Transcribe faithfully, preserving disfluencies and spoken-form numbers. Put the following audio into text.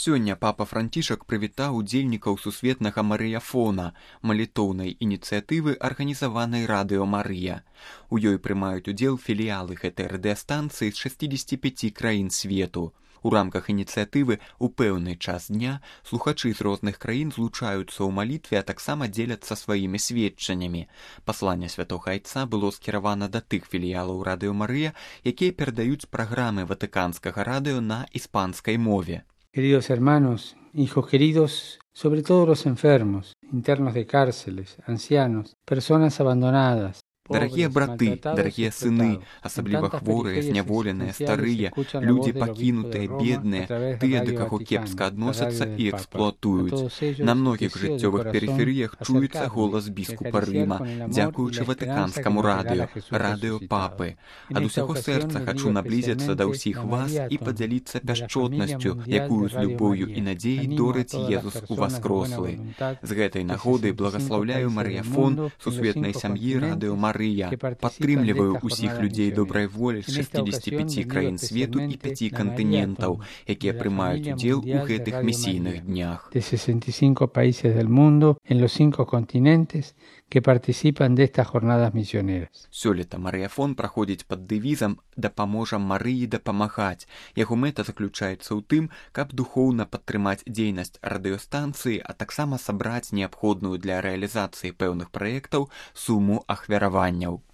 Сёння папа Францішак прывітаў удзельнікаў сусветнага марыяфона, малітоўнай ініцыятывы, арганізаванай радыё Марыя. У ёй прымаюць удзел філіялы гэтай радыёстанцыі з шасцідзесяці пяці краін свету. У рамках ініцыятывы ў пэўны час дня слухачы з розных краін злучаюцца ў малітве, а таксама дзеляцца сваімі сведчаннямі. Пасланне святога айца было скіравана да тых філіялаў радыё Марыя, якія перадаюць праграмы ватыканскага радыё на іспанскай мове. Queridos hermanos, hijos queridos, sobre todo los enfermos, internos de cárceles, ancianos, personas abandonadas. Дарагія браты, дарагія сыны, асабліва хворыя, зняволеныя, старыя, людзі пакінутыя, бедныя, тыя, да каго кепска адносяцца і эксплуатуюць. На многіх жыццёвых перыферыях чуецца голас біскупа Рыма, дзякуючы ватыканскаму радыё, радыё папы. Ад усяго сэрца хачу наблізіцца да ўсіх вас і падзяліцца пяшчотнасцю, якую з любоўю і надзеяй дорыць Езус уваскрослы. З гэтай нагоды благаслаўляю марыяфон сусветнай сям'і радыё Марыя. Падтрымліваю ўсіх людзей добрай волі з шасцідзесяці пяці краін свету і пяці кантынентаў, якія прымаюць удзел у гэтых місійных днях. De sesenta y cinco países del mundo en los cinco continentes que participan de estas jornadas misioneras. Сёлета марыяфон праходзіць пад дэвізам «Дапаможам Марыі дапамагаць». Яго мэта заключаецца ў тым, каб духоўна падтрымаць дзейнасць радыёстанцыі, а таксама сабраць неабходную для рэалізацыі пэўных праектаў суму ахвяраванняў.